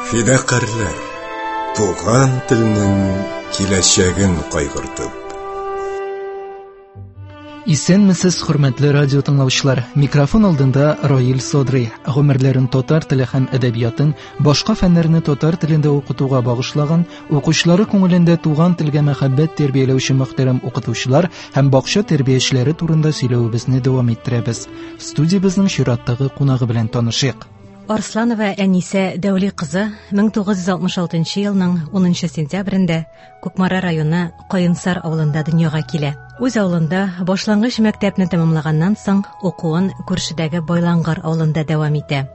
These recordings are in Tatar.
Фидакарьләр, туган телнең киләчәген кайгыртып. Исәнмесез, хөрмәтле радио тыңлаучылар. Микрофон алдында Раил Содрый. Гомерләрен татар теле һәм әдәбиятын, башка фәннәрне татар телендә укытуга багышлаган, укучылары күңелендә туган телгә мәхәббәт тәрбияләүче мөхтәрәм укытучылар һәм бакча тәрбиячеләре турында сөйләвебезне дәвам иттерәбез. Студиябезнең чираттагы кунагы белән танышыйк. Арсланова Әнисә Дәүли кызы 1966 елның 10 сентябрендә Кукмара районы Каенсар авылында дөньяга килә. Үз авылында башлангыч мәктәпне тәмамлаганнан соң укуын күршедәге Байлангар авылында дәвам итә.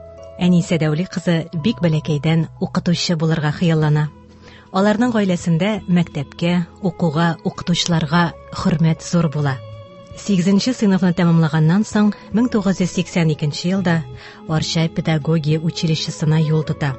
Әнисә Дәүли кызы бик бәләкәйдән укытучы булырга хыяллана. Аларның гаиләсендә мәктәпкә, укуга, укытучыларга хөрмәт зур була. 8 сыйныфны тәмамлаганнан соң 1982 елда Арча педагогия училищесына юл тота.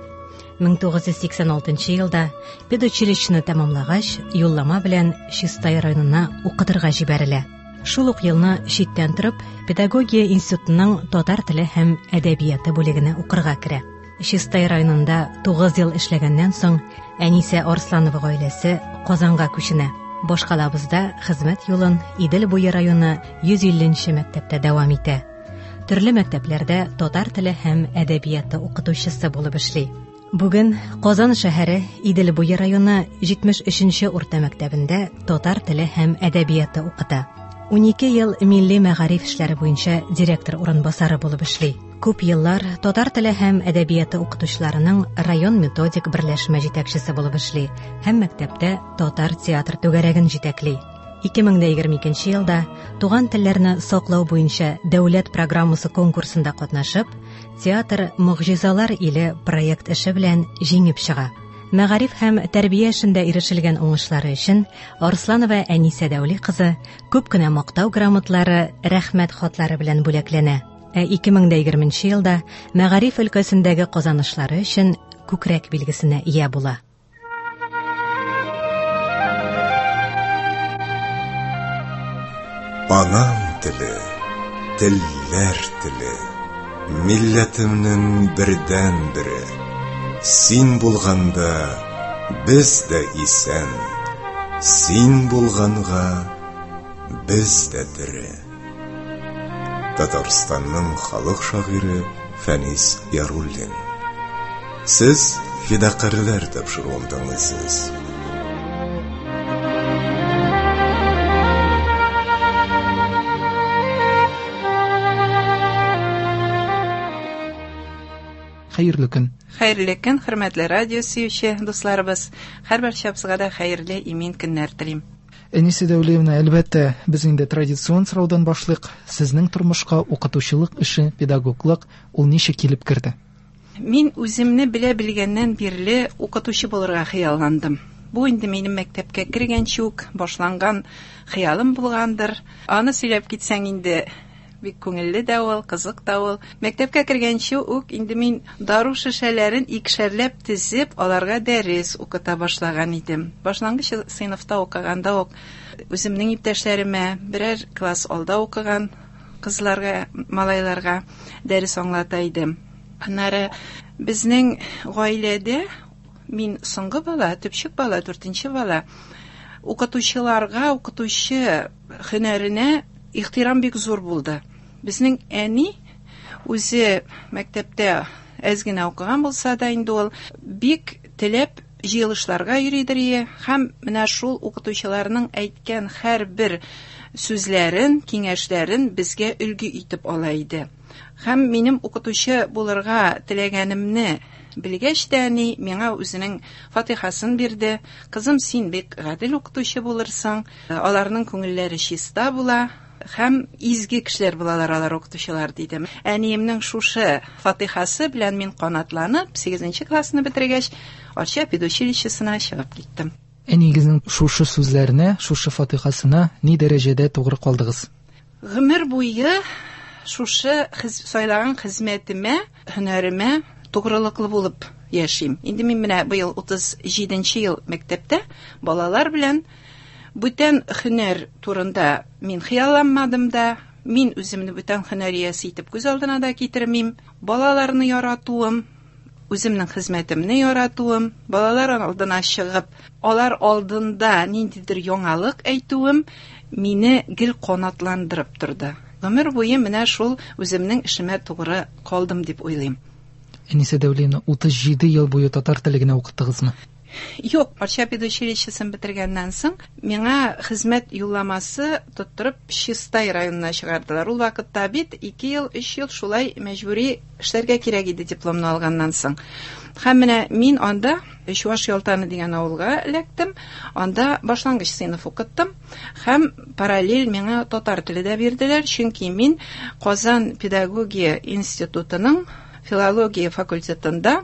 1986 елда педучилищены тәмамлагач, юллама белән Чистай районына укытырга җибәрелә. Шул ук елны читтән торып, педагогия институтының татар теле һәм әдәбияты бүлегенә укырга керә. Чистай районында 9 ел эшләгәннән соң, Әнисә Арсланова гаиләсе Казанга күченә. Башкалабызда хезмәт юлын Идел буе районы 150 мәктәптә дәвам итә. Төрле мәктәпләрдә татар теле һәм әдәбияты укытучысы булып эшли. Бүген Казан шәһәре Идел буе районы 73 урта мәктәбендә татар теле һәм әдәбияты укыта. 12 ел милли мәгариф эшләре буенча директор урынбасары булып эшли. Күп еллар татар теле һәм әдәбияты укытучыларының район методик берләшмә җитәкчесе булып эшли һәм мәктәптә татар театр түгәрәген җитәкли. 2022 елда туган телләрне саклау буенча дәүләт программасы конкурсында катнашып, Театр могҗизалар иле проект эше белән җиңеп чыга. Мәгариф һәм тәрбия эшендә ирешелгән уңышлары өчен Арсланова Әнисә Дәүли кызы күп кенә мактау грамотлары, рәхмәт хатлары белән бүләкләнә. Ә 2020 елда мәгариф өлкәсендәге казанышлары өчен күкрәк билгесенә ия була. Анам теле, телләр теле, милләтемнең бердәнбере. Син булганда без дә исән, син булганга без дә тере. Татарстанның халык шагыйре Фәнис Яруллин. Сез Фидакарьләр тапшыруын тыңлыйсыз. Хәерле көн. Хәерле көн, хөрмәтле радио сөюче дусларыбыз. Һәрберчабызга да хәерле, имин көннәр телим. Әнисе Дәүлиевна, әлбәттә, без инде традицион сораудан башлыйк. Сезнең тормышка укытучылык эше, педагоглык ул ничек килеп керде? Мин үземне белә белгәннән бирле укытучы булырга хыялландым. Бу инде минем мәктәпкә кергәнче үк башланган хыялым булгандыр. Аны сөйләп китсәң инде бик күңелле дә ул, кызык та ул. Мәктәпкә кергәнче үк инде мин дару шешәләрен икешәрләп тезеп, аларга дәрес укыта башлаган идем. Башлангыч сыйныфта укыганда ук үземнең иптәшләремә, берәр класс алда укыган кызларга, малайларга дәрес аңлата идем. Аннары безнең гаиләдә мин соңгы бала, төпчек бала, дүртенче бала. Укытучыларга, укытучы һөнәренә ихтирам бик зур булды. Безнең әни үзе мәктәптә әз генә укыган булса да инде ул бик теләп җыелышларга йөридер ие һәм менә шул укытучыларның әйткән һәрбер сүзләрен, киңәшләрен безгә өлге итеп ала иде. Һәм минем укытучы булырга теләгәнемне белгәч тә әни миңа үзенең фатихасын бирде. Кызым, син бик гадел укытучы булырсың, аларның күңелләре чиста була һәм изге кешеләр булалар алар укытучылар, диде. Әниемнең шушы фатихасы белән мин канатланып, 8 классны бетергәч, Арча педучилищесына чыгып киттем. Әниегезнең шушы сүзләренә, шушы фатихасына ни дәрәҗәдә тугры калдыгыз? Гомер буе шушы сайлаган хезмәтемә, һөнәремә тугрылыклы булып яшим. Инде мин менә быел 37 ел мәктәптә балалар белән бүтән һөнәр турында мин хыялланмадым да, мин үземне бүтән һөнәр иясе итеп күз алдына да китермим. Балаларны яратуым, Үземнең хезмәтемне яратуым, балалар алдына чыгып, алар алдында ниндидер яңалык әйтүем мине гел канатландырып торды. Гомер буе менә шул үземнең эшемә тугры калдым дип уйлыйм. Әнисә Дәүлиевна, 37 ел буе татар теле генә укыттыгызмы? Юк, Арча педучилищесын бетергәннән соң, миңа хезмәт юлламасы тоттырып Чистай районына чыгардылар. Ул вакытта бит 2 ел, 3 ел шулай мәҗбүри эшләргә кирәк иде дипломны алганнан соң. Һәм менә мин анда Чуаш Ялтаны дигән авылга эләктем. Анда башлангыч сыйныф укыттым. Һәм параллель миңа татар теле дә бирделәр, чөнки мин Казан педагогия институтының филология факультетында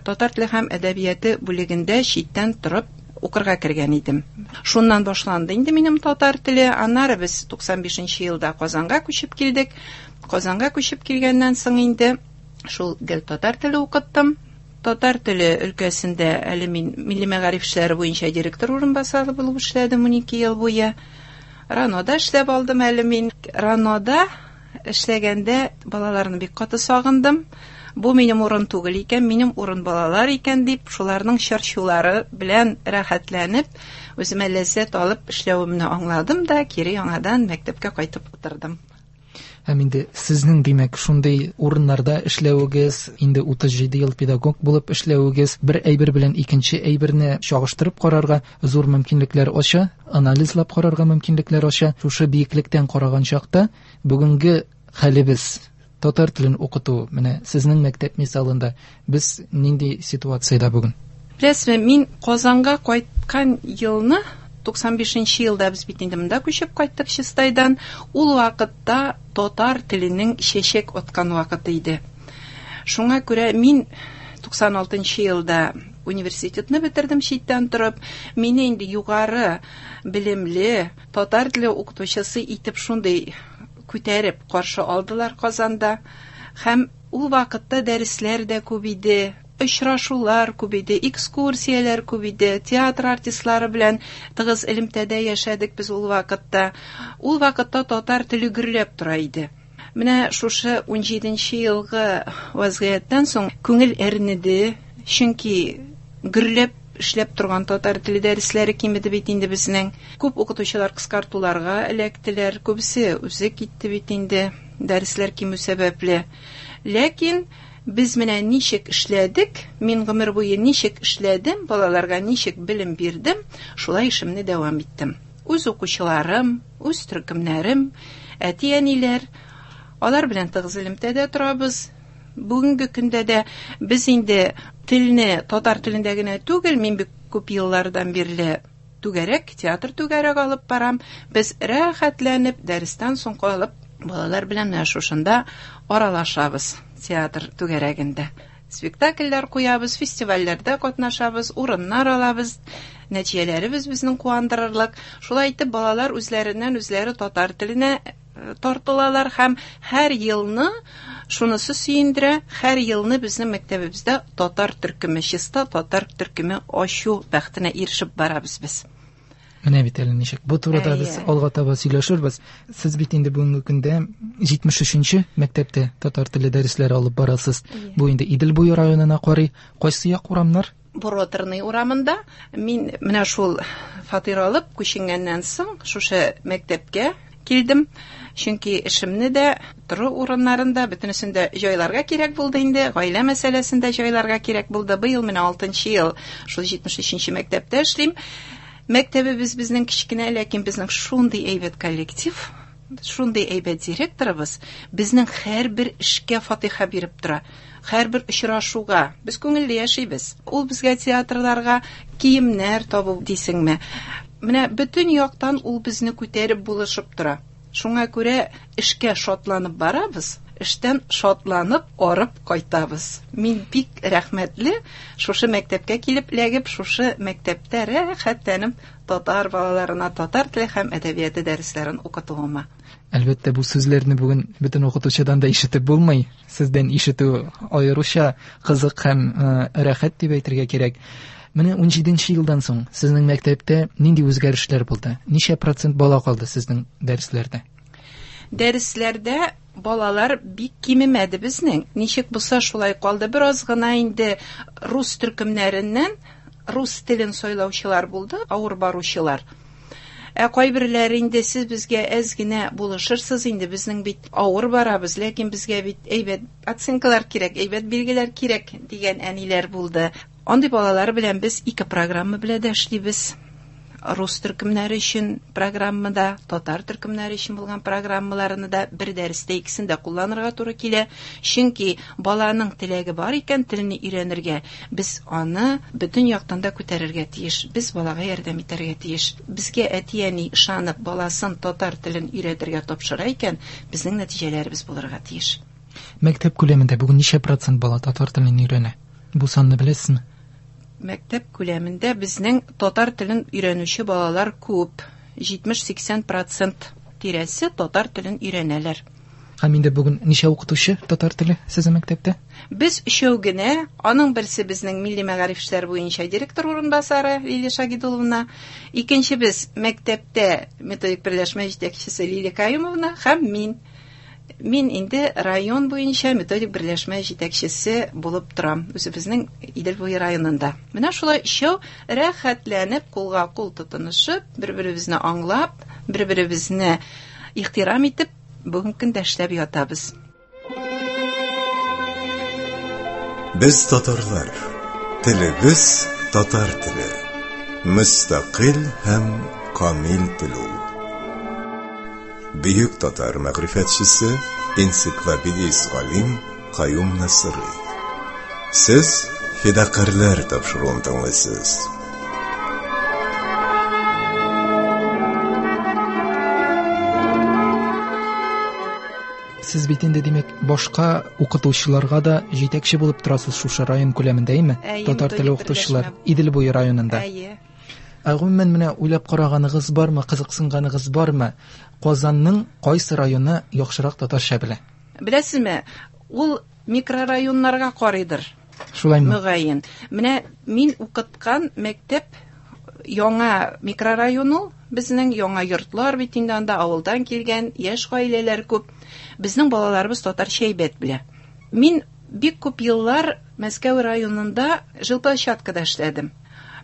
татар теле һәм әдәбияты бүлегендә читтән торып укырга кергән идем. Шуннан башланды инде минем татар теле. Аннары без 95 елда Казанга күчеп килдек. Казанга күчеп килгәннән соң инде шул гел татар теле укыттым. Татар теле өлкәсендә әле мин милли мәгариф эшләре буенча директор урынбасары булып эшләдем 12 ел буе. РАНОда эшләп алдым әле мин. РАНОда эшләгәндә балаларны бик каты сагындым. Бу минем урын түгел икән, минем урын балалар икән дип, шуларның чырчулары белән рәхәтләнеп, үземә ләззәт алып эшләвемне аңладым да, кире яңадан мәктәпкә кайтып утырдым. Һәм инде сезнең, димәк, шундый урыннарда эшләвегез, инде 37 ел педагог булып эшләвегез бер әйбер белән икенче әйберне чагыштырып карарга зур мөмкинлекләр ача, анализлап карарга мөмкинлекләр ача. Шушы биеклектән караган чакта бүгенге хәлебез, татар телен укыту, менә сезнең мәктәп мисалында без нинди ситуациядә бүген? Беләсезме, мин Казанга кайткан елны, 95 елда без бит инде монда күчеп кайттык Чистайдан. Ул вакытта татар теленең чәчәк аткан вакыты иде. Шуңа күрә мин 96 елда университетны бетердем читтән торып. Мине инде югары белемле татар теле укытучысы итеп шундый күтәреп каршы алдылар Казанда. Һәм ул вакытта дәресләр дә күп иде, очрашулар күп иде, экскурсияләр күп иде, театр артистлары белән тыгыз элемтәдә яшәдек без ул вакытта. Ул вакытта татар теле гөрләп тора иде. Менә шушы 17 елгы вазгыятьтән соң күңел әрнеде, чөнки гөрләп эшләп торган татар теле дәресләре кимеде бит инде безнең. Күп укытучылар кыскартуларга эләктеләр, күбесе үзе китте бит инде дәресләр кимү сәбәпле. Ләкин без менә ничек эшләдек, мин гомер буе ничек эшләдем, балаларга ничек белем бирдем, шулай эшемне дәвам иттем. Үз укучыларым, үз төркемнәрем, әти-әниләр, алар белән тыгыз элемтәдә торабыз. Бүгенге көндә дә без инде телне татар телендә генә түгел, мин бик күп еллардан бирле түгәрәк, театр түгәрәк алып барам. Без рәхәтләнеп дәрестән соң калып балалар белән менә шушында аралашабыз театр түгәрәгендә. Спектакльләр куябыз, фестивальләрдә катнашабыз, урыннар алабыз. Нәтиҗәләребез безнең куандырырлык. Шулай итеп балалар үзләреннән үзләре татар теленә тартылалар һәм һәр елны шунысы сөендерә, һәр елны безнең мәктәбебездә татар төркеме, чиста татар төркеме ачу бәхетенә ирешеп барабыз без. Менә бит әле ничек. Бу турыда без алга таба сөйләшербез. Сез бит инде бүгенге көндә 73-нче мәктәптә татар теле дәресләре алып барасыз. Бу инде Идел буе районына карый. Кайсы як урамнар? Буроторный урамында. Мин менә шул фатир алып күченгәннән соң шушы мәктәпкә килдем. Чөнки эшемне дә, тору урыннарын да, бөтенесен дә җайларга кирәк булды инде, гаилә мәсьәләсен дә җайларга кирәк булды. Быел менә 6 ел шул 73-нче мәктәптә эшлим. Мәктәбебез безнең кечкенә, ләкин безнең шундый әйбәт коллектив, шундый әйбәт директорыбыз безнең һәрбер эшкә фатиха биреп тора. Һәрбер очрашуга без күңелле яшибез. Ул безгә театрларга киемнәр табу дисеңме? Менә бөтен яктан ул безне күтәреп булышып тора. Шуңа күрә эшкә шатланып барабыз, эштән шатланып арып кайтабыз. Мин бик рәхмәтле шушы мәктәпкә килеп эләгеп, шушы мәктәптә рәхәтләнеп татар балаларына татар теле һәм әдәбияты дәресләрен укытуыма. Әлбәттә, бу сүзләрне бүген бөтен укытучыдан да ишетеп булмый. Сездән ишетү аеруча кызык һәм рәхәт дип әйтергә кирәк. Менә 17 елдан соң сезнең мәктәптә нинди үзгәрешләр булды? Ничә процент бала калды сезнең дәресләрдә? Дәресләрдә Балалар бик кимемәде безнең. Ничек булса шулай калды. Бераз гына инде рус төркемнәреннән рус телен сайлаучылар булды, авыр баручылар. Ә кайберләре инде сез безгә әз генә булышырсыз инде, безнең бит авыр барабыз, ләкин безгә бит әйбәт оценкалар кирәк, әйбәт билгеләр кирәк дигән әниләр булды. Андый балалар белән без ике программа белән дә эшлибез. Рус төркемнәре өчен программада, татар төркемнәре өчен булган программаларны да бер дәрестә икесен дә кулланырга туры килә. Чөнки баланың теләге бар икән телне өйрәнергә, без аны бөтен яктан да күтәрергә тиеш. Без балага ярдәм итәргә тиеш. Безгә әти-әни ышанып баласын татар телен өйрәтергә тапшыра икән, безнең нәтиҗәләребез булырга тиеш. Мәктәп күләмендә бүген ничә процент бала татар телен өйрәнә? Бу санны беләсезме? Мәктәп күләмендә безнең татар телен өйрәнүче балалар күп. 70-80 процент тирәсе татар телен өйрәнәләр. Һәм инде бүген ничә укытучы татар теле сезнең мәктәптә? Без өчәү генә, аның берсе безнең милли мәгариф эшләре буенча директор урынбасары Лилия Шагидуловна, икенчебез мәктәптә методик берләшмә җитәкчесе Лилия Каюмовна һәм мин. Мин инде район буенча методик берләшмә җитәкчесе булып торам, үзебезнең Идел буе районында. Менә шулай өчәү рәхәтләнеп, кулга кул тотынышып, бер-беребезне аңлап, бер-беребезне ихтирам итеп, бүгенге көндә эшләп ятабыз. Без татарлар, телебез татар теле. Мөстәкыйль һәм камил тел ул. Бөек татар мәгърифәтчесе, энциклопедист галим Каюм Насыйри. Сез Фидакарьләр тапшыруын тыңлыйсыз. Сез бит инде, димәк, башка укытучыларга да җитәкче булып торасыз шушы район күләмендә, әйеме? Әйе, Татар теле методик укытучылар берләшмә. Идел буе районында. Әйе. Ә гомумән менә уйлап караганыгыз бармы, кызыксынганыгыз бармы? Казанның кайсы районы яхшырак татарча белә? Беләсезме, ул микрорайоннарга карыйдыр. Шулаймы? Мөгаен. Менә мин укыткан мәктәп яңа микрорайон ул, безнең яңа йортлар бит инде анда авылдан килгән яшь гаиләләр күп. Безнең балаларыбыз татарча әйбәт белә. Мин бик күп еллар Мәскәү районында жилплощадкада эшләдем.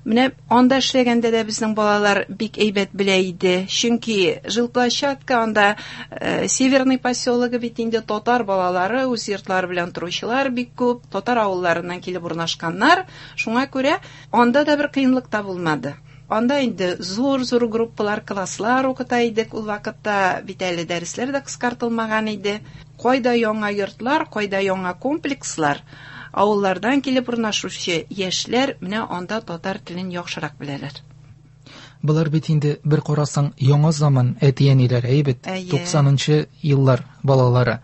Менә анда эшләгәндә дә безнең балалар бик әйбәт белә иде. Чөнки жилплощадка анда Северный поселогы бит инде татар балалары үз йортлары белән торучылар бик күп, татар авылларыннан килеп урнашканнар. Шуңа күрә анда да бер кыенлык та булмады. Анда инде зур-зур группалар, класслар укыта идек. Ул вакытта бит әле дәресләр дә кыскартылмаган иде. Кайда яңа йортлар, кайда яңа комплекслар, авыллардан килеп урнашучы яшьләр менә анда татар телен яхшырак беләләр. Болар бит инде бер карасаң яңа заман әти-әниләр, әйе бит? Әйе. 90-нчы еллар балалары.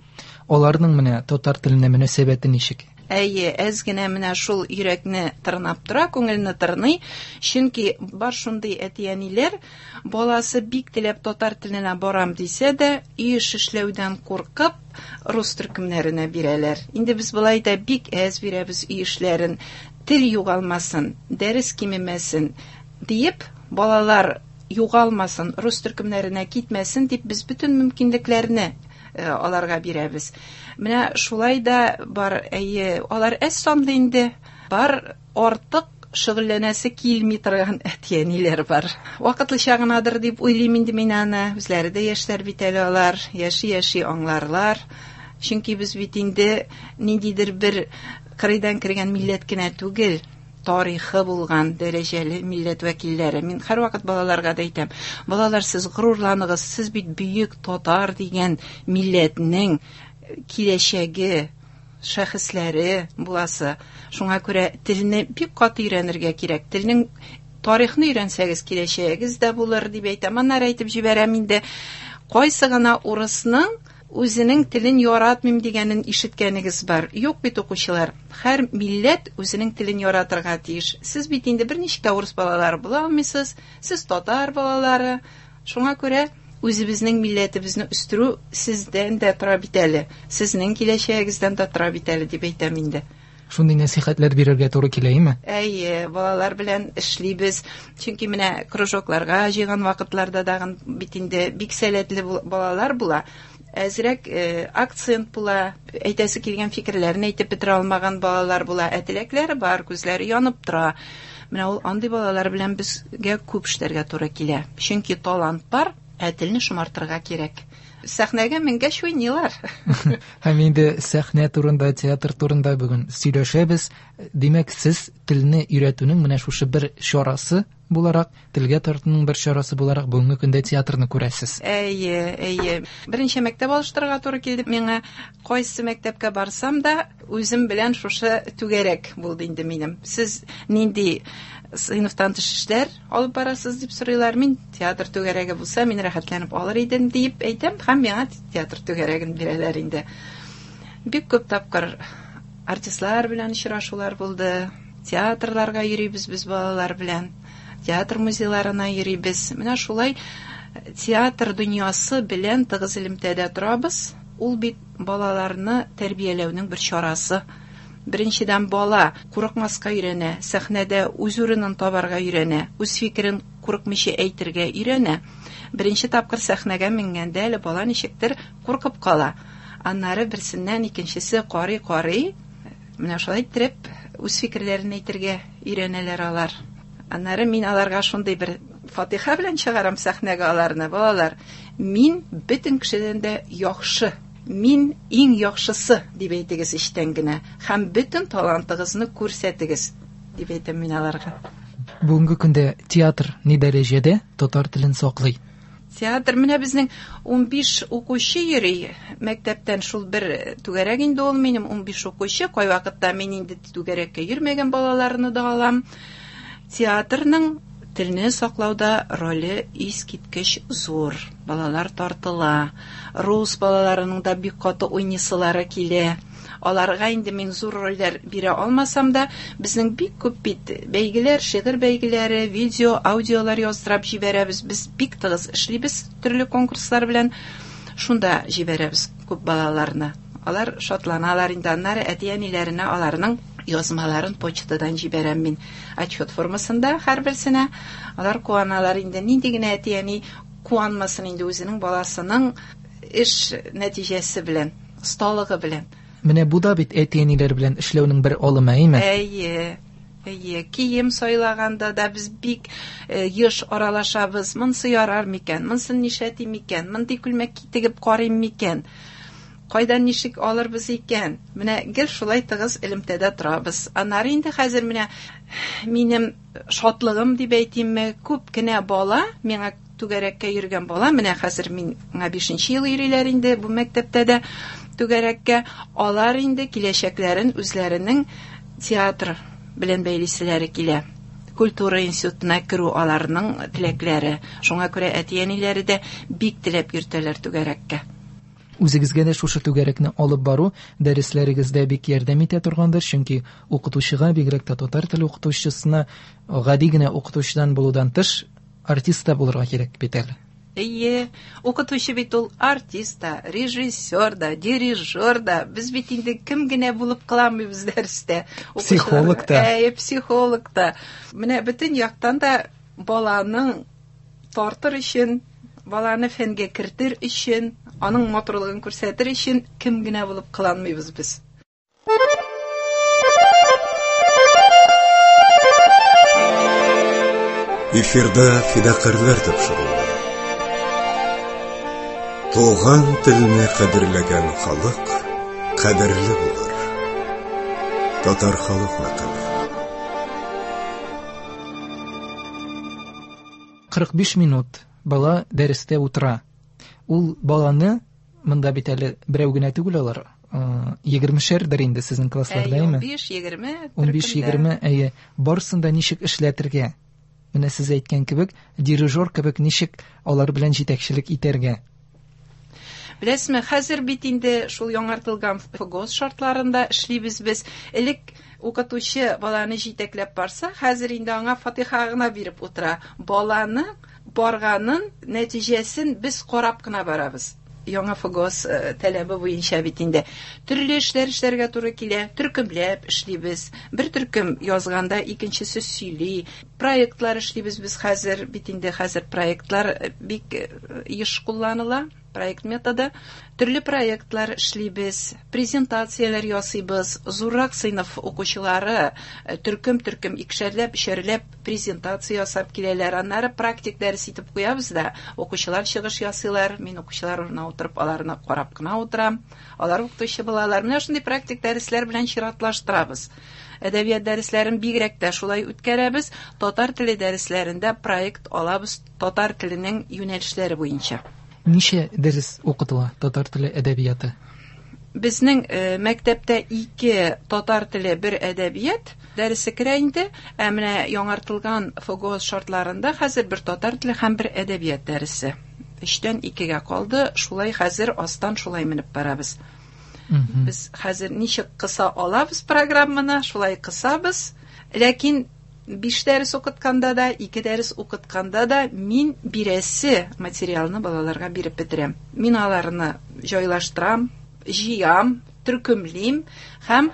Аларның менә татар теленә мөнәсәбәте ничек? Әйе, әз генә менә шул йөрәкне тырнап тора, күңелне тырный. Чөнки бар шундый әти-әниләр, баласы бик теләп татар теленә барам дисә дә, өй эш эшләүдән куркып, рус төркемнәренә бирәләр. Инде без болай да бик әз бирәбез өй эшләрен. Тел югалмасын, дәрес кимемәсен диеп, балалар югалмасын, рус төркемнәренә китмәсен дип без бөтен мөмкинлекләрне аларга бирәбез. Менә шулай да бар, әйе, алар әз санлы инде, бар артык шөгыльләнәсе килми торган әти-әниләр бар. Вакытлыча гынадыр дип уйлыйм инде мин аны. Үзләре дә яшьләр бит әле алар, яши-яши аңларлар. Чөнки без бит инде ниндидер бер кырыйдан кергән милләт кенә түгел, тарихы булган дәрәҗәле милләт вәкилләре. Мин һәрвакыт балаларга да әйтәм: балалар, сез горурланыгыз, сез бит бөек татар дигән милләтнең киләчәге, шәхесләре буласы. Шуңа күрә телне бик каты өйрәнергә кирәк. Телнең тарихны өйрәнсәгез, киләчәгегез дә булыр дип әйтәм. Аннары әйтеп җибәрәм инде, кайсы гына урысның үзенең телен яратмыйм дигәнен ишеткәнегез бар. Юк бит, укучылар. Һәр милләт үзенең телен яратырга тиеш. Сез бит инде берничә урыс балалары була алмыйсыз, сез татар балалары. Шуңа күрә үзебезнең милләтебезне үстерү сездән дә тора бит әле, сезнең киләчәгегездән дә тора бит әле дип әйтәм инде. Шундый нәсихәтләр бирергә туры килә, әйеме? Әйе, балалар белән эшлибез. Чөнки менә кружокларга җыйган вакытларда дагын бит инде бик сәләтле балалар була. Әзрәк акцент була, әйтәсе килгән фикерләрен әйтеп бетерә алмаган балалар була. Ә теләкләре бар, күзләре янып тора. Менә ул андый балалар белән безгә күп эшләргә туры килә. Чөнки талант бар, ә телне шомартырга кирәк. Сәхнәгә менгәч уйныйлар. Һәм инде сәхнә турында, театр турында бүген сөйләшәбез. Димәк, сез телне өйрәтүнең менә шушы бер чарасы буларак, телгә тартуның бер чарасы буларак бүгенге көндә театрны күрәсез. Әйе, әйе. Берничә мәктәп алыштырырга туры килде миңа. Кайсы мәктәпкә барсам да, үзем белән шушы түгәрәк булды инде минем. Сез нинди сыйныфтан тыш эшләр алып барасыз дип сорыйлар. Мин театр түгәрәге булса, мин рәхәтләнеп алыр идем дип әйтәм, һәм миңа театр түгәрәген бирәләр инде. Бик күп тапкыр артистлар белән очрашулар булды. Театрларга йөрибез без балалар белән. Театр музейларына йөрибез. Менә шулай театр дөньясы белән тыгыз элемтәдә торабыз. Ул бит балаларны тәрбияләүнең бер чарасы. Беренчедән, бала курыкмаска өйрәнә, сәхнәдә үз урынын табарга өйрәнә, үз фикерен курыкмыйча әйтергә өйрәнә. Беренче тапкыр сәхнәгә менгәндә әле бала ничектер куркып кала. Аннары берсеннән икенчесе карый-карый, менә шулай иттереп үз фикерләрен әйтергә өйрәнәләр алар. Аннары мин аларга шундый бер фатиха белән чыгарам сәхнәгә аларны. Балалар, мин бөтен кешедән дә яхшы, мин иң яхшысы дип әйтегез эчтән генә һәм бөтен талантыгызны күрсәтегез дип әйтәм мин аларга. Бүгенге көндә театр ни дәрәҗәдә татар телен саклый? Театр менә безнең 15 укучы йөри мәктәптән, шул бер түгәрәк инде ул минем 15 укучы. Кайвакытта мин инде түгәрәккә йөрмәгән балаларны да алам. Театрның телне саклауда роле искиткеч зур. Балалар тартыла. Рус балаларының да бик каты уйныйсылары килә. Аларга инде мин зур рольләр бирә алмасам да, безнең бик күп бит бәйгеләр, шигырь бәйгеләре, видео, аудиолар яздырып җибәрәбез. Без бик тыгыз эшлибез төрле конкурслар белән. Шунда җибәрәбез күп балаларны. Алар шатланалар инде. Аннары әти-әниләренә аларның язмаларын почтадан җибәрәм мин. Отчет формасында һәрберсенә. Алар куаналар инде. Нинди генә әти-әни куанмасын инде үзенең баласының эш нәтиҗәсе белән, осталыгы белән. Менә бу да бит әти-әниләр белән эшләүнең бер алымы, әйме? Әйе. Әйе, кием сайлаганда да без бик еш аралашабыз. Монсы ярар микән? Монсын нишләтим микән? Мондый күлмәк тегеп карыйм микән? Кайдан ничек алырбыз икән? Менә гел шулай тыгыз элемтәдә торабыз. Аннары инде хәзер менә минем шатлыгым дип әйтимме, күп кенә бала, миңа түгәрәккә йөргән бала, менә хәзер миңа 5 ел йөриләр инде бу мәктәптә дә түгәрәккә, алар инде киләчәкләрен үзләренең театр белән бәйлиселәре килә. Культура институтына керү аларның теләкләре. Шуңа күрә әти-әниләре дә бик теләп йөртәләр түгәрәккә. Үзегезгә дә шушы түгәрәкне алып бару дәресләрегездә бик ярдәм итә торгандыр, чөнки укытучыга, бигрәк тә татар теле укытучысына гади генә укытучыдан булудан тыш артист та булырга кирәк бит әле. Әйе, укытучы бит ул артист та, режиссер да, дирижер да. Без бит инде кем генә булып кыламыйбыз дәрестә. Психолог та. Әйе, психолог та. Менә бөтен яктан да баланың тартыр өчен, баланы фәнгә кертер өчен, аның матурлыгын күрсәтер өчен кем генә булып кыланмыйбыз без. Эфирда фидакарьләр тапшыруы. Туган телне кадерләгән халык кадерле булыр. Татар халык мәкале. 45 минут бала дәрестә утыра. Ул баланы монда бит әле берәү генә түгел алар, 20-шәрдер инде сезнең классларда, әйме? 15-20. 15-20, әйе. Барысын да ничек эшләтергә? Менә сез әйткән кебек, дирижер кебек ничек алар белән җитәкчелек итәргә? Беләсезме, хәзер бит инде шул яңартылган ФГОС шартларында эшлибез без. Элек укытучы баланы җитәкләп барса, хәзер инде аңа фатиха гына биреп утыра. Баланы барганын, нәтиҗәсен без карап кына барабыз. Яңа ФГОС таләбе буенча бит инде төрле эшләр эшләргә туры килә, төркемләп эшлибез. Бер төркем язганда икенчесе сөйли. Проектлар эшлибез без хәзер, бит инде хәзер проектлар бик еш кулланыла. Проект методы. Төрле проектлар эшлибез, презентацияләр ясыйбыз. Зуррак сыйныф укучылары төркем-төркем икешәрләп, өчәрләп презентация ясап киләләр. Аннары практик дәрес итеп куябыз да, укучылар чыгыш ясыйлар. Мин укучылар урынына утырып, аларны карап кына утырам. Алар укытучы булалар. Менә шундый практик дәресләр белән чиратлаштырабыз. Әдәбият дәресләрен бигрәк тә шулай үткәрәбез. Татар теле дәресләрендә проект алабыз татар теленең юнәлешләре буенча. Ничә дәрес укытыла татар теле әдәбияты? Безнең мәктәптә 2 татар теле, 1 әдәбият дәресе керә инде. Ә менә яңартылган ФГОС шартларында хәзер 1 татар теле һәм 1 әдәбият дәресе. 3-тән 2-гә калды. Шулай хәзер астан шулай менеп барабыз. Без хәзер ничек кыса алабыз программаны, шулай кысабыз. Ләкин 5 дәрес укытканда да, 2 дәрес укытканда да мин бирәсе материалны балаларга биреп бетерәм. Мин аларны җайлаштырам, җыям, төркемлим һәм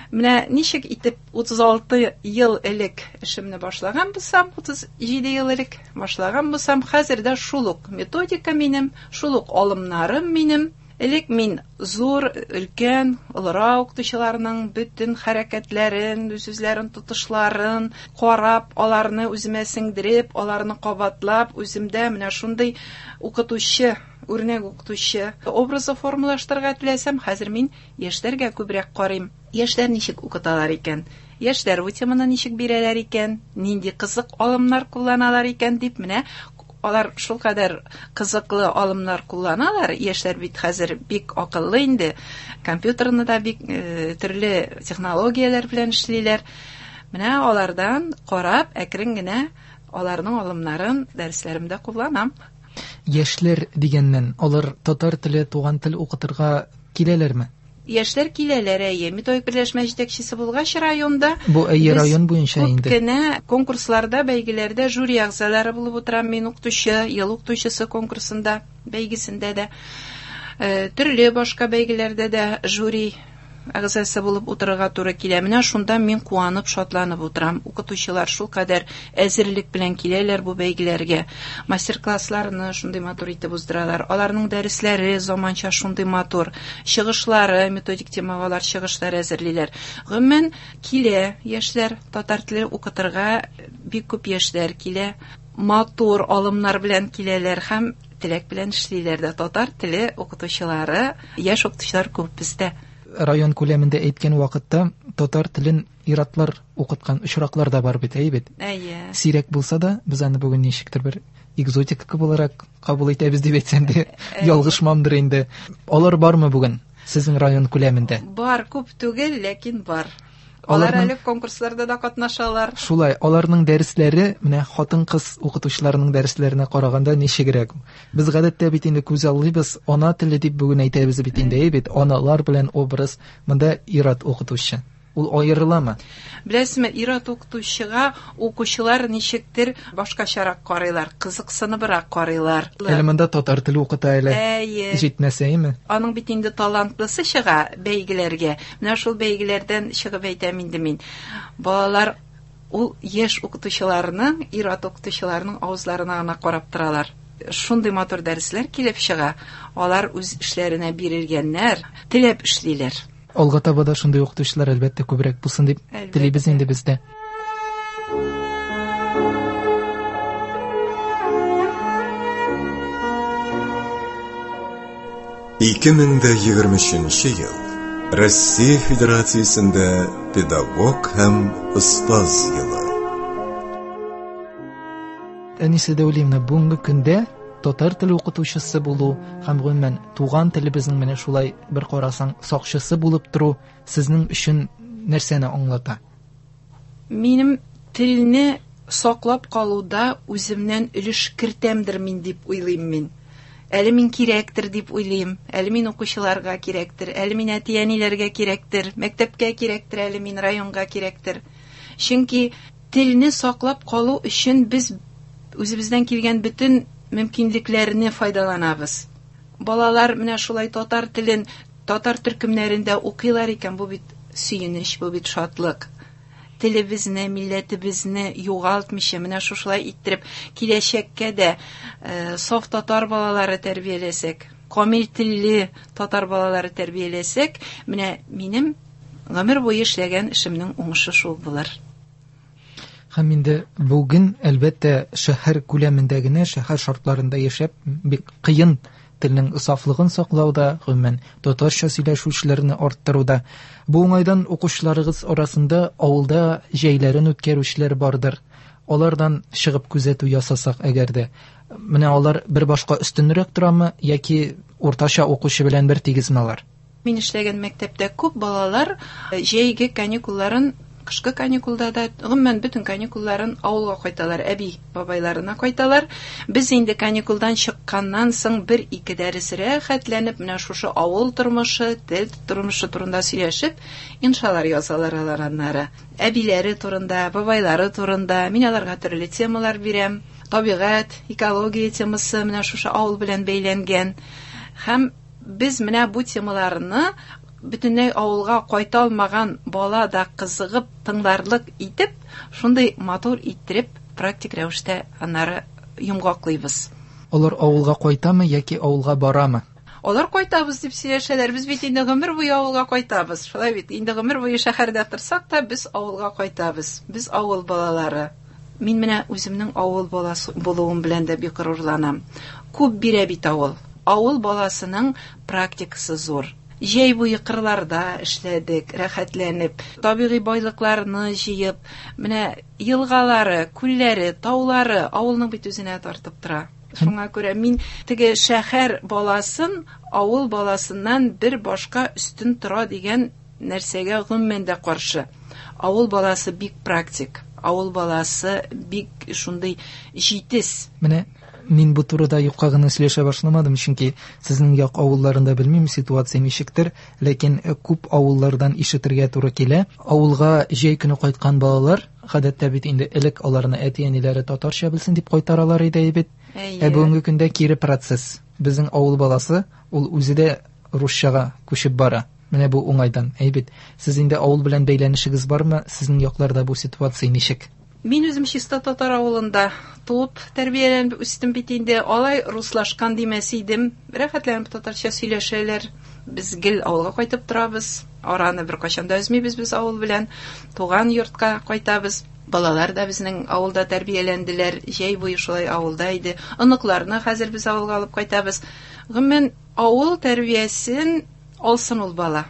менә ничек итеп 36 ел элек эшемне башлаган булсам, 37 ел элек башлаган булсам, хәзер дә шул ук методика минем, шул ук алымнарым минем. Элек мин зур, өлкән, олырак укытучыларның бөтен хәрәкәтләрен, үз-үзләрен тотышларын карап, аларны үземә сеңдереп, аларны кабатлап, үземдә менә шундый укытучы, үрнәк укытучы образы формалаштырырга теләсәм, хәзер мин яшьләргә күбрәк карыйм. Яшьләр ничек укыталар икән? Яшьләр бу теманы ничек бирәләр икән? Нинди кызык алымнар кулланалар икән дип, менә алар шулкадәр кызыклы алымнар кулланалар. Яшьләр бит хәзер бик акыллы инде. Компьютерны да бик төрле технологияләр белән эшлиләр. Менә алардан карап, әкрен генә аларның алымнарын дәресләремдә кулланам. Яшьләр дигәннән, алар татар теле, туган тел укытырга киләләрме? Яшьләр киләләр, әйе. Методик берләшмә җитәкчесе булгач районда, Бу әйе, без район буенча күп инде. кенә конкурсларда, бәйгеләрдә жюри әгъзалары булып утырам. Мин укытучы, ел укытучысы конкурсында, бәйгесендә дә, төрле башка бәйгеләрдә дә жюри әгъзасы булып утырырга туры килә. Менә шунда мин куанып, шатланып утырам. Укытучылар шулкадәр әзерлек белән киләләр бу бәйгеләргә. Мастер-классларны шундый матур итеп уздыралар. Аларның дәресләре заманча шундый матур. Чыгышлары, методик темага алар чыгышлар әзерлиләр. Гомумән, килә яшьләр, татар теле укытырга бик күп яшьләр килә. Матур алымнар белән киләләр һәм теләк белән эшлиләр дә. Татар теле укытучылары, яшь укытучылар күп бездә. Район күләмендә әйткән вакытта татар телен иратлар укыткан очраклар да бар бит, әйе бит? Әйе. Сирәк булса да, без аны бүген ничектер бер экзотика буларак кабул итәбез дип әйтсәм дә, ялгышмамдыр инде. Алар бармы бүген сезнең район күләмендә? Бар, күп түгел, ләкин бар. Алар әле конкурсларда да катнашалар. Шулай, аларның дәресләре менә хатын-кыз укытучыларының дәресләренә караганда ничегрәк? Без гадәттә бит инде күз аллыйбыз, ана теле дип бүген әйтәбез бит инде, әйе бит, аналар белән образ, монда ир-ат укытучы. Ул аерыламы? Беләсезме, ир-ат укытучыга укучылар ничектер башкачарак карыйлар, кызыксыныбрак карыйлар. Әле монда татар теле укыта әле. Әйе. Җитмәсә, әйеме? Аның бит инде талантлысы чыга бәйгеләргә. Менә шул бәйгеләрдән чыгып әйтәм инде мин. Балалар ул яшь укытучыларның, ир-ат укытучыларның авызларына гына карап торалар. Шундый матур дәресләр килеп чыга. Алар үз эшләренә бирелгәннәр, теләп эшлиләр. Алга таба да шундый укытучылар әлбәттә күбрәк булсын дип телибез инде без дә. Ике мең дә егерме өченче ел Россия Федерациясендә педагог һәм остаз елы. Әнисе Дәүлиевна, бүгенге көндә татар теле укытучысы булу һәм гомумән туган телебезнең менә шулай бер карасаң сакчысы булып тору сезнең өчен нәрсәне аңлата? Минем телне саклап калуда үземнән өлеш кертәмдер мин дип уйлыйм мин. Әле мин кирәктер дип уйлыйм, әле мин укучыларга кирәктер, әле мин әти-әниләргә кирәктер, мәктәпкә кирәктер, әле мин районга кирәктер. Чөнки телне саклап калу өчен без үзебездән килгән бөтен мөмкинлекләрне файдаланабыз. Балалар менә шулай татар телен татар төркемнәрендә укыйлар икән, бу бит сөенеч, бу бит шатлык. Телебезне, милләтебезне югалтмыйча, менә шушылай иттереп киләчәккә дә саф татар балалары тәрбияләсәк. камил телле татар балалары тәрбияләсәк, менә минем гомер буе эшләгән эшемнең уңышы шул булыр. Һәм инде бүген, әлбәттә, шәһәр күләмендә генә, шәһәр шартларында яшәп бик кыен телнең сафлыгын саклауда, гомумән, татарча сөйләшүчеләрне арттыруда. Бу уңайдан укучыларыгыз арасында авылда җәйләрен үткәрүчеләр бардыр. Алардан чыгып күзәтү ясасак әгәр дә, менә алар бер башка өстенрәк торамы яки уртача укучы белән бер тигезме алар? Мин эшләгән мәктәптә күп балалар җәйге каникулларын, кышкы каникулда да, гомумән бөтен каникулларын авылга кайталар, әби бабайларына кайталар. Без инде каникулдан чыкканнан соң бер-ике дәрес рәхәтләнеп, менә шушы авыл тормышы, тел тормышы турында сөйләшеп, иншалар язалар алар аннары. Әбиләре турында, бабайлары турында, мин аларга төрле темалар бирәм. Табигать, экология темасы менә шушы авыл белән бәйләнгән. Һәм без менә бу темаларны бөтенләй авылга кайта алмаган бала да кызыгып тыңларлык итеп, шундый матур иттереп практик рәвештә аннары йомгаклыйбыз. Алар авылга кайтамы яки авылга барамы? Алар кайтабыз дип сөйләшәләр. Без бит инде гомер буе авылга кайтабыз. Шулай бит, инде гомер буе шәһәрдә торсак та, без авылга кайтабыз. Без авыл балалары. Мин менә үземнең авыл баласы булуым белән дә бик горурланам. Күп бирә бит авыл. Авыл баласының практикасы зур. Җәй буе кырларда эшләдек, рәхәтләнеп, табигый байлыкларны җыеп, менә елгалары, күлләре, таулары авылның бит үзенә тартып тора. Шуңа күрә мин теге шәһәр баласын авыл баласыннан бер башка өстен тора дигән нәрсәгә гомумән дә каршы. Авыл баласы бик практик, авыл баласы бик шундый җитез. Менә мин бу турыда юкка гына сөйләшә башламадым, чөнки сезнең як авылларында белмим ситуация ничектер, ләкин күп авыллардан ишетергә туры килә. Авылга җәй көне кайткан балалар, гадәттә бит инде элек аларны әти-әниләре татарча белсен дип кайтаралар иде бит. Ә бүгенге көндә кире процесс. Безнең авыл баласы ул үзе дә русчага күчеп бара. Менә бу уңайдан, әйбит. Сез инде авыл белән бәйләнешегез бармы? Сезнең якларда бу ситуация ничек? Мин үзем чиста татар авылында туып, тәрбияләнеп үстем бит инде. Алай руслашкан димәс идем. Рәхәтләнеп татарча сөйләшәләр. Без гел авылга кайтып торабыз. Араны беркайчан да өзмибез без авыл белән. Туган йортка кайтабыз. Балалар да безнең авылда тәрбияләнделәр. Җәй буе шулай авылда иде. Оныкларны хәзер без авылга алып кайтабыз. Гомумән, авыл тәрбиясен алсын ул бала.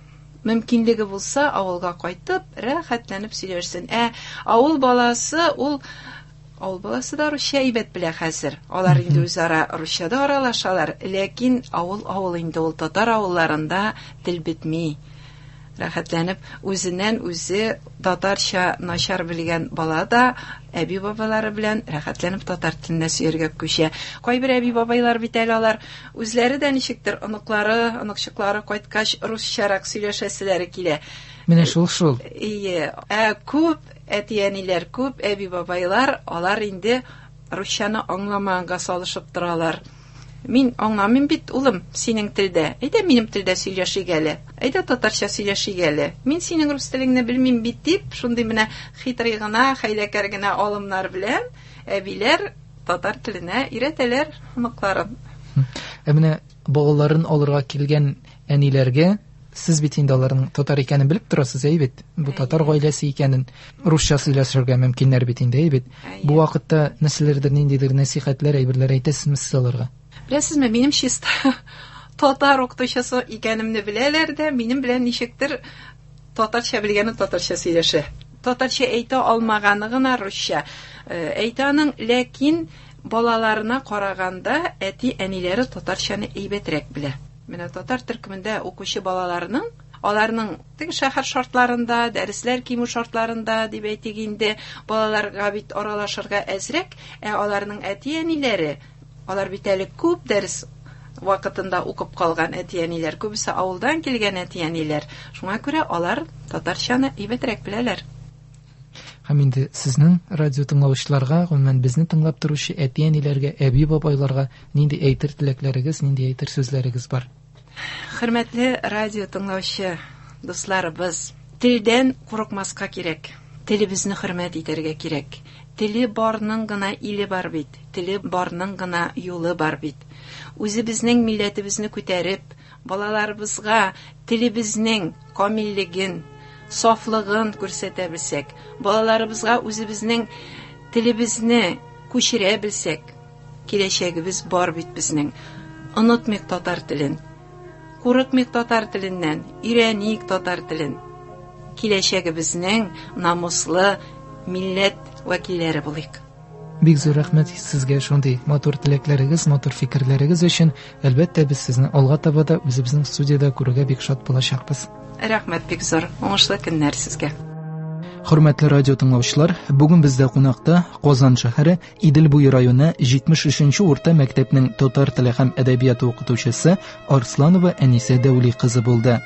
Мөмкинлеге булса, авылга кайтып, рәхәтләнеп сөйләшсен. Ә авыл баласы ул авыл баласы да русча әйбәт белә хәзер. Алар инде үзара русча да аралашалар, ләкин авыл авыл инде ул, татар авылларында тел бетми. Рәхәтләнеп үзеннән үзе татарча начар белгән бала да әби бабалары белән рәхәтләнеп татар теленә сөяргә күчә. Кайбер әби бабайлар бит әле алар үзләре дә ничектер оныклары, оныкчыклары кайткач русчарак сөйләшәселәре килә. Менә шул шул. Ие, ә күп әти-әниләр, күп әби бабайлар алар инде русчаны аңламаганга салышып торалар. Мин аңламыйм бит, улым, синең телдә. Әйдә минем телдә сөйләшик әле. Әйдә татарча сөйләшик әле. Мин синең рус телеңне белмим бит дип, шундый менә хитрый гына, хәйләкәр генә алымнар белән әбиләр татар теленә өйрәтәләр оныкларын. Ә менә балаларын алырга килгән әниләргә сез бит инде аларның татар икәнен белеп торасыз, әй бит. Бу татар гаиләсе икәнен русча сөйләшергә мөмкиннәр бит инде, әй бит. Бу вакытта нәрсәләрдер, ниндидер нәсихәтләр, әйберләр әйтәсезме сез аларга? Беләсезме, минем чиста татар укытучысы икәнемне беләләр дә, минем белән ничектер татарча белгәне татарча сөйләшә. Татарча әйтә алмаганы гына русча әйтә аның, ләкин балаларына караганда әти-әниләре татарчаны әйбәтрәк белә. Менә татар төркемендә укучы балаларның, аларның теге шәһәр шартларында, дәресләр кимү шартларында дип әйтик инде, балаларга бит аралашырга әзрәк, ә аларның әти-әниләре, алар бит әле күп дәрес вакытында укып калган әти-әниләр, күбесе авылдан килгән әти-әниләр. Шуңа күрә алар татарчаны әйбәтрәк беләләр. Һәм инде сезнең радио тыңлаучыларга, гомумән безне тыңлап торучы әти-әниләргә, әби-бабайларга нинди әйтер теләкләрегез, нинди әйтер сүзләрегез бар? Хөрмәтле радио тыңлаучы дусларыбыз, телдән курыкмаска кирәк. Телебезне хөрмәт итәргә кирәк. Теле барның гына иле бар бит, теле барның гына юлы бар бит. Үзебезнең милләтебезне күтәреп, балаларыбызга телебезнең камиллеген, сафлыгын күрсәтә белсәк, балаларыбызга үзебезнең телебезне күчерә белсәк, киләчәгебез бар бит безнең. Онытмыйк татар телен. Курыкмыйк татар теленнән, өйрәник татар телен. Киләчәгебезнең намуслы милләт вәкилләре булыйк. Бик зур рәхмәт сезгә шундый матур теләкләрегез, матур фикерләрегез өчен. Әлбәттә, без сезне алга таба да үзебезнең студиядә күрергә бик шат булачакбыз. Рәхмәт бик зур. Уңышлы көннәр сезгә. Хөрмәтле радио тыңлаучылар, бүген бездә кунакта Казан шәһәре Идел буе районы 73нче урта мәктәпнең татар теле һәм әдәбияты укытучысы Арсланова Әнисә Дәүли кызы булды.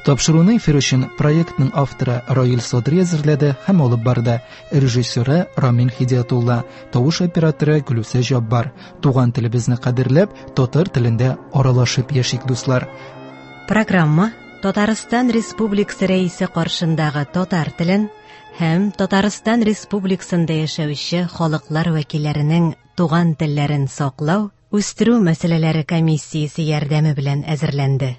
Тапшыруны эфир өчен проектның авторы Раил Садри әзерләде һәм алып барды. Режиссеры Рамил Хидиятулла, тавыш операторы Гөлүсә Җаббар. Туган телебезне кадерләп, татар телендә аралашып яшик, дуслар. Программа Татарстан Республикасы Рәисе каршындагы татар телен һәм Татарстан Республикасында яшәүче халыклар вәкилләренең туган телләрен саклау, үстерү мәсьәләләре комиссиясе ярдәме белән әзерләнде.